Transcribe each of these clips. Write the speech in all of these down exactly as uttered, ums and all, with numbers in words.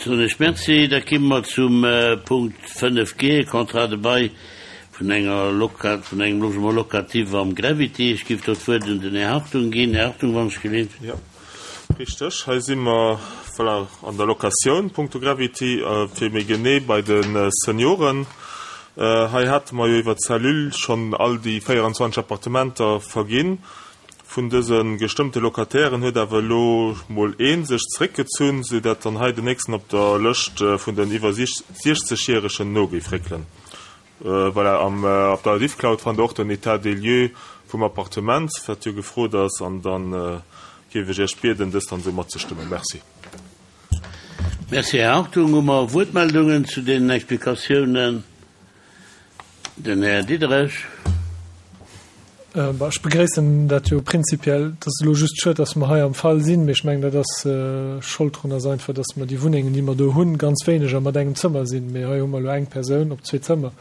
Soen ech Merci. Da komme mer zum Punkt fënnef G, Contrat de bail vun enger Loca-, vun engem Logement locatif am Gravity. Ech géif do d'Wuert un den Här Hartung ginn. Här Hartung, wann ech geleent. Jo, richteg. Hei si mer, voilà, an der Locatioun punkto Gravity, fir méi genee bei de Senioren. Hei hate mer jo iwwer d'Cellule schonn all déi véierundzwanzeg Appartementer verginn. Vun dëse gestëmmte Locatairen huet awer elo mol ee sech zeréckgezunn, soudatt dann hei den nächsten op der Lëscht vun den iwwer siechzegjäregen no géif réckelen. Voilà, am, op der Diffcloud fannt der och den État des lieux vum Appartement, wat jo gefrot ass, an dann géif ech Iech bieden, dëst dann esou matzestëmmen. Merci. Merci, Här Hartung. Hu mer Wuertmeldungen zu deenen Explikatiounen? Den Här Diderich. Ech begréissen dat jo prinzipiell. Et ass elo just schued, dass mer hei am Fall sinn, mee ech mengen, dat ass, Schold drun ass einfach, dass mer déi Wunnengen, déi mer do hunn, ganz wéineg a mat engem Zëmmer sinn. Mee hei hu mer elo eng Persoun op zwee Zëmmer,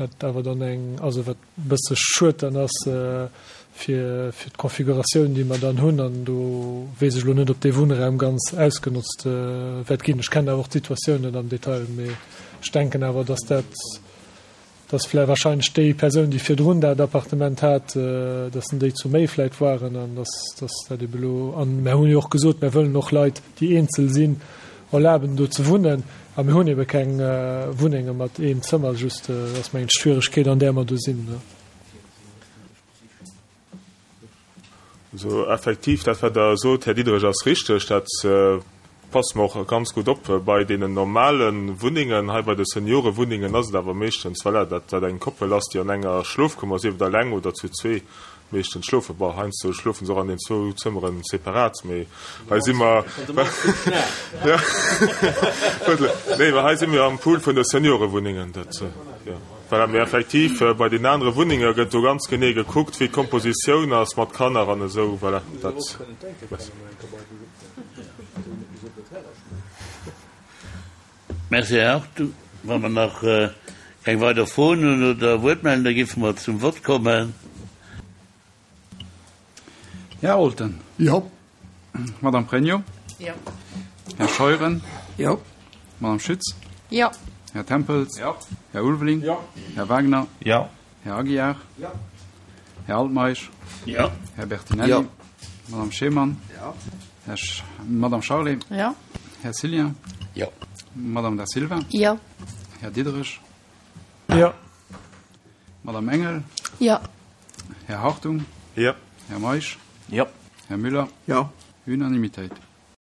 wat awer dann eng, also wat e bësse schued dann ass fir, fir d'Konfiguratioun, déi mer dann hunn. An do weess ech elo net, ob dee Wunnraum ganz ausgenotzt wäert ginn. Ech kennen awer och d'Situatioun net am Detail, mee ech denken awer, dass dat, dass vläicht wahrscheinlech déi Persoun, déi virdrun dat Appartement hat, dass en déi zu méi vläicht waren an dass, dass dat ebe elo, an mär hunn jo och gesot, mär wëllen och Leit, déi eenzel sinn, erlaben do ze wunnen a mir hunn ebe keng Wunnenge mat eem Zëmmer just. Dat ass mengen ech d'Schwieregkeet an där mer do sinn. Also effektiv, dat wat Der sot, Här Diderich, ass richteg. Dat passe mer och ganz gutt op bei deenen normale Wunnengen. Hei bei de Seniorewunnengen ass et awer meeschtens, voilà, dat dat eng Koppel ass, déi an enger Schlofkummer, sief et eleng oder zu zwee, meeschtens schlofen. Bon, heiansdo schlofe se och an den zwou Zëmmere separat, mee hei si mer, ja, nee, mä hei si mir am Pool vun de Seniorewunnengen. Dat, jo. Voilà, mee effektiv, bei den anere Wunnenge gëtt do ganz genee gekuckt, wéi d'Kompositioun ass mat Kanner an esou. Voilà, dat. Merci, Här Hartung. Wa mer nach keng weider Froen hunn oder Wuertmeldungen, da géife mer zum Vott kommen. Här Olten. Jo. Madame Pregno. Jo. Här Scheuren. Jo. Madame Schütz. Jo. Här Tempels. Jo. Här Ulveling. Jo. Här Wagner. Jo. Här Aguiar. Jo. Här Altmeisch. Jo. Här Bertinelli. Jo. Madame Schemann. Jo. Här Sch Madame Charlé. Jo. Här Cillien. Jo. Madame Da Silva. Jo. Här Diderich. Jo. Madame Engel. Jo. Här Hartung. Jo. Här Meisch. Jo. Här Müller. Jo. Unanimitéit.